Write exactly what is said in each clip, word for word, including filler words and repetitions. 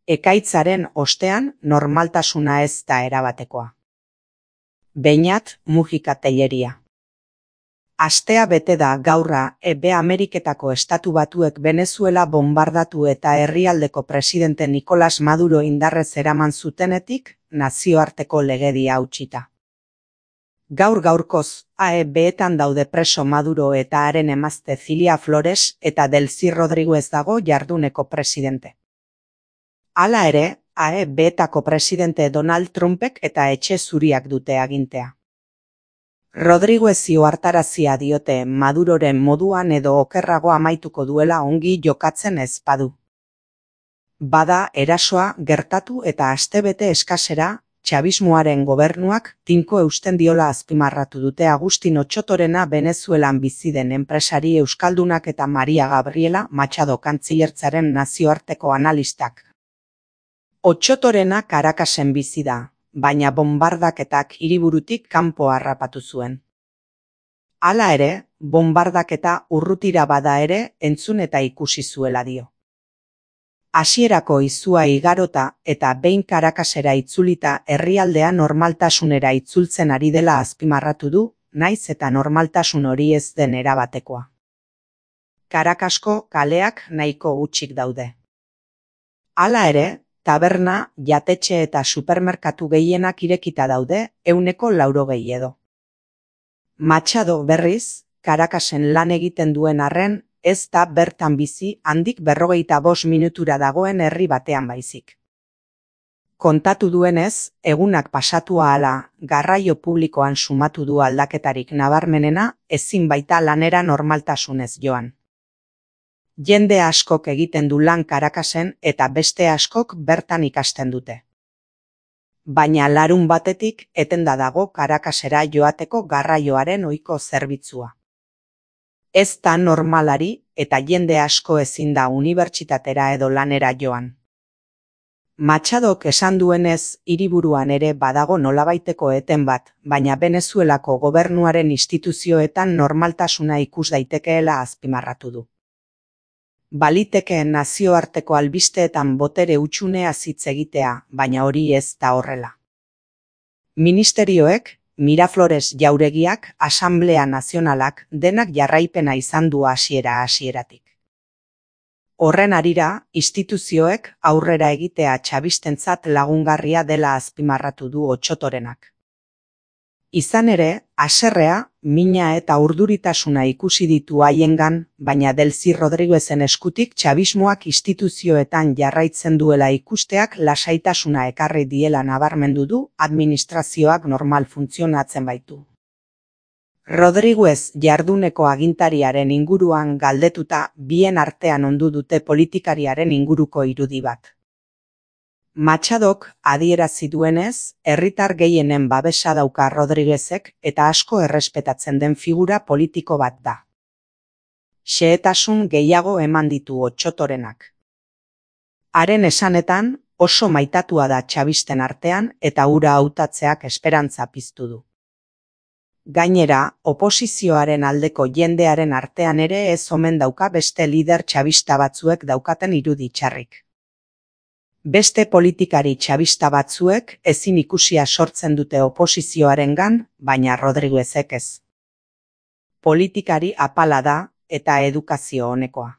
Ekaitzaren ostean normaltasuna ez da erabatekoa. Beñat Mujika Telleria. Astea bete da gaurra Ebe Ameriketako Estatu Batuek Venezuela bombardatu eta herrialdeko presidente Nicolas Maduro indarrez eraman zutenetik nazioarteko legedia hautsita. Gaur gaurkoz, A E Beetan daude preso Maduro eta haren emazte Cilia Flores eta Delcy Rodriguez dago jarduneko presidente. Hala ere, A E Beetako presidente Donald Trumpek eta etxe zuriak dute agintea. Rodriguezi ohartarazia diote Maduroren moduan edo okerrago amaituko duela ongi jokatzen ez badu. Bada erasoa gertatu eta astebete eskasera, txabismoaren gobernuak tinko eusten diola azpimarratu dute Agustin Otxotorena Venezuelan bizi den enpresari euskaldunak eta Maria Gabriela Machado kantziertzaren nazioarteko analistak. Otxotorena Caracasen bizi da, baina bombardaketak hiriburutik kanpo harrapatu zuen. Hala ere, bombardaketa urrutira bada ere entzun eta ikusi zuela dio. Hasierako izua igarota eta behin Caracasera itzulita herrialdea normaltasunera itzultzen ari dela azpimarratu du, naiz eta normaltasun hori ez den erabatekoa. Caracasko kaleak nahiko hutsik daude. Hala ere, taberna, jatetxe eta supermerkatu gehienak irekita daude, ehuneko laurogei edo. Machado berriz, Caracasen lan egiten duen arren, ez da bertan bizi handik berrogeita bost minutura dagoen herri batean baizik. Kontatu duenez, egunak pasatu ahala, garraio publikoan sumatu du aldaketarik nabarmenena, ezin baita lanera normaltasunez joan. Jende askok egiten du lan Caracasen eta beste askok bertan ikasten dute. Baina larun batetik etenda dago Caracasera joateko garraioaren ohiko zerbitzua. Ez da normalari eta jende asko ezin da unibertsitatera edo lanera joan. Machadok esan duenez hiriburuan ere badago nolabaiteko eten bat, baina Venezuelako gobernuaren instituzioetan normaltasuna ikus daitekeela azpimarratu du. Balitekeen nazioarteko albisteetan botere hutsunea hitz egitea, baina hori ez da horrela. Ministerioek, Miraflores jauregiak, Asamblea Nazionalak denak jarraipena izan du hasiera hasieratik. Horren harira, instituzioek aurrera egitea txabistentzat lagungarria dela azpimarratu du Otxotorenak. Izan ere, haserrea, mina eta urduritasuna ikusi ditu haiengan, baina Delcy Rodriguezen eskutik txabismoak instituzioetan jarraitzen duela ikusteak lasaitasuna ekarri diela nabarmendu du administrazioak normal funtzionatzen baitu. Rodriguez jarduneko agintariaren inguruan galdetuta bien artean ondu dute politikariaren inguruko irudi bat. Machadok adierazi duenez, herritar gehienen babesa dauka Rodriguezek eta asko errespetatzen den figura politiko bat da. Xehetasun gehiago eman ditu Otxotorenak. Haren esanetan, oso maitatua da txabisten artean eta hura hautatzeak esperantza piztu du. Gainera, oposizioaren aldeko jendearen artean ere ez omen dauka beste lider txabista batzuek daukaten irudi txarrik. Beste politikari txabista batzuek ezin ikusia sortzen dute oposizioarengan, baina Rodriguezek ez. Politikari apala da eta edukazio onekoa.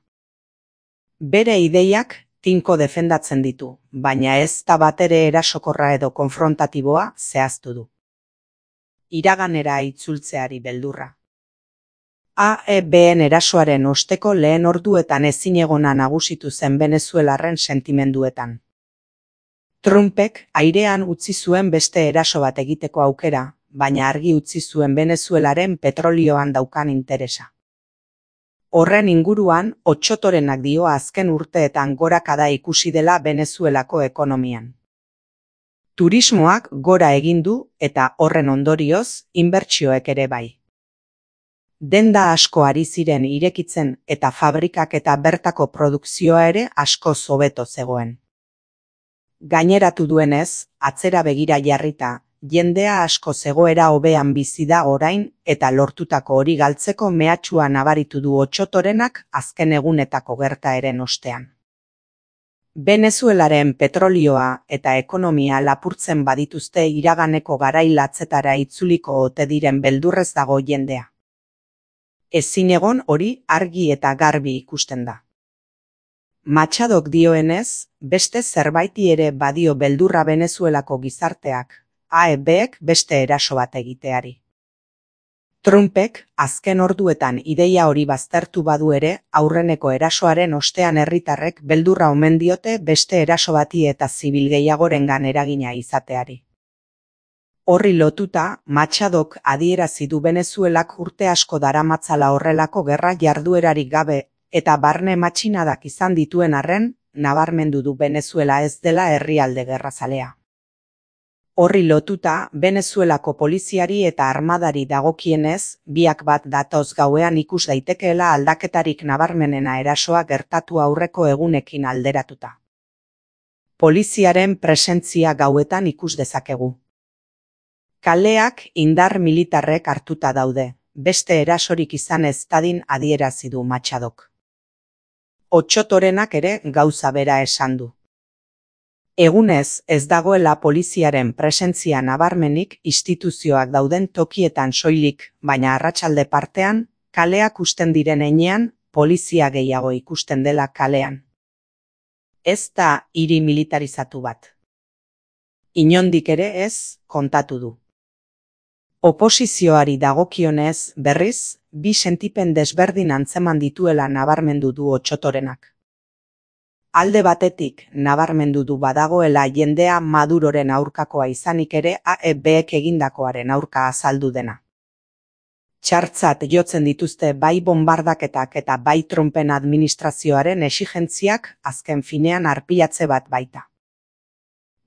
Bere ideiak tinko defendatzen ditu, baina ez da batere erasokorra edo konfrontatiboa zehaztu du. Iraganera itzultzeari beldurra. A E Been erasoaren osteko lehen orduetan ezinegona nagusitu zen Venezuelarren sentimenduetan. Trumpek airean utzi zuen beste eraso bat egiteko aukera, baina argi utzi zuen Venezuelaren petrolioan daukan interesa. Horren inguruan, Otxotorenak dio azken urteetan gorakada ikusi dela Venezuelako ekonomian. Turismoak gora egin du eta horren ondorioz, inbertsioek ere bai. Denda asko ari ziren irekitzen eta fabrikak eta bertako produkzioa ere asko hobeto zegoen. Gaineratu duenez, atzera begira jarrita, jendea asko zegoera hobean bizi da orain eta lortutako hori galtzeko mehatxua nabaritu du Otxotorenak azken egunetako gertaeren ostean. Venezuelaren petrolioa eta ekonomia lapurtzen badituzte iraganeko garai latzetara itzuliko ote diren beldurrez dago jendea. Ezin egon hori argi eta garbi ikusten da. Machadok dioenez, beste zerbaiti ere badio beldurra Venezuelako gizarteak, A E Bek beste eraso bat egiteari. Trumpek azken orduetan ideia hori baztertu badu ere, aurreneko erasoaren ostean herritarrek beldurra omen diote beste eraso bati eta zibil gehiagorengan eragina izateari. Horri lotuta, Machadok adierazi du Venezuelak urte asko daramatzala horrelako gerra jarduerarik gabe eta barne matxinadak izan dituen arren, nabarmendu du Venezuela ez dela herrialde gerrazalea. Horri lotuta, Venezuelako poliziari eta armadari dagokienez, biak bat datoz gauean ikus daitekeela aldaketarik nabarmenena erasoa gertatu aurreko egunekin alderatuta. Poliziaren presentzia gauetan ikus dezakegu. Kaleak indar militarrek hartuta daude, beste erasorik izan ez dadin adierazi du Machadok. Otsotorenak ere gauza bera esan du. Egunez ez dagoela poliziaren presentzia nabarmenik instituzioak dauden tokietan soilik, baina arratsalde partean, kaleak usten diren heinean, polizia gehiago ikusten dela kalean. Ez da hiri militarizatu bat. Inondik ere ez, kontatu du. Oposizioari dagokionez, berriz, bi sentipen desberdin antzeman dituela nabarmendu du Otsotorenak. Alde batetik, nabarmendu du badagoela jendea Maduroren aurkakoa izanik ere A E Bek egindakoaren aurka azaldu dena. Txartzat jotzen dituzte bai bonbardaketak eta bai Trumpen administrazioaren exigentziak azken finean arpilatze bat baita.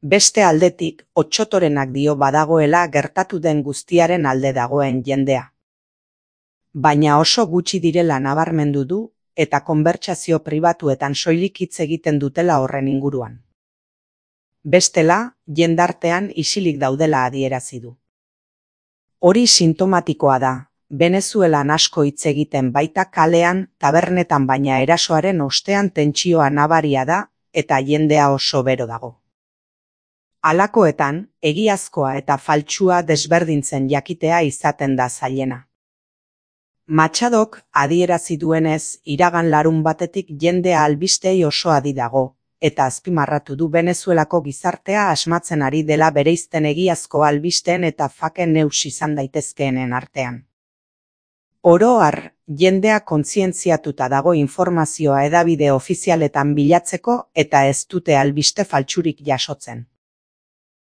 Beste aldetik, Otsotorenak dio badagoela gertatu den guztiaren alde dagoen jendea. Baina oso gutxi direla nabarmendu du, eta konbertsazio pribatuetan soilik hitz egiten dutela horren inguruan. Bestela, jendartean isilik daudela adierazi du. Hori sintomatikoa da, Venezuelan asko hitz egiten baita kalean, tabernetan baina erasoaren ostean tentsioa nabaria da, eta jendea oso bero dago. Halakoetan, egiazkoa eta faltsua desberdintzen jakitea izaten da zailena. Machadok adierazi duenez, iragan larun batetik jendea albistei oso adi dago, eta azpimarratu du Venezuelako gizartea asmatzen ari dela bereizten egiazko albisteen eta fake news izan daitezkeenen artean. Oro har, jendea kontzientziatuta dago informazioa hedabide ofizialetan bilatzeko eta ez dute albiste faltsurik jasotzen.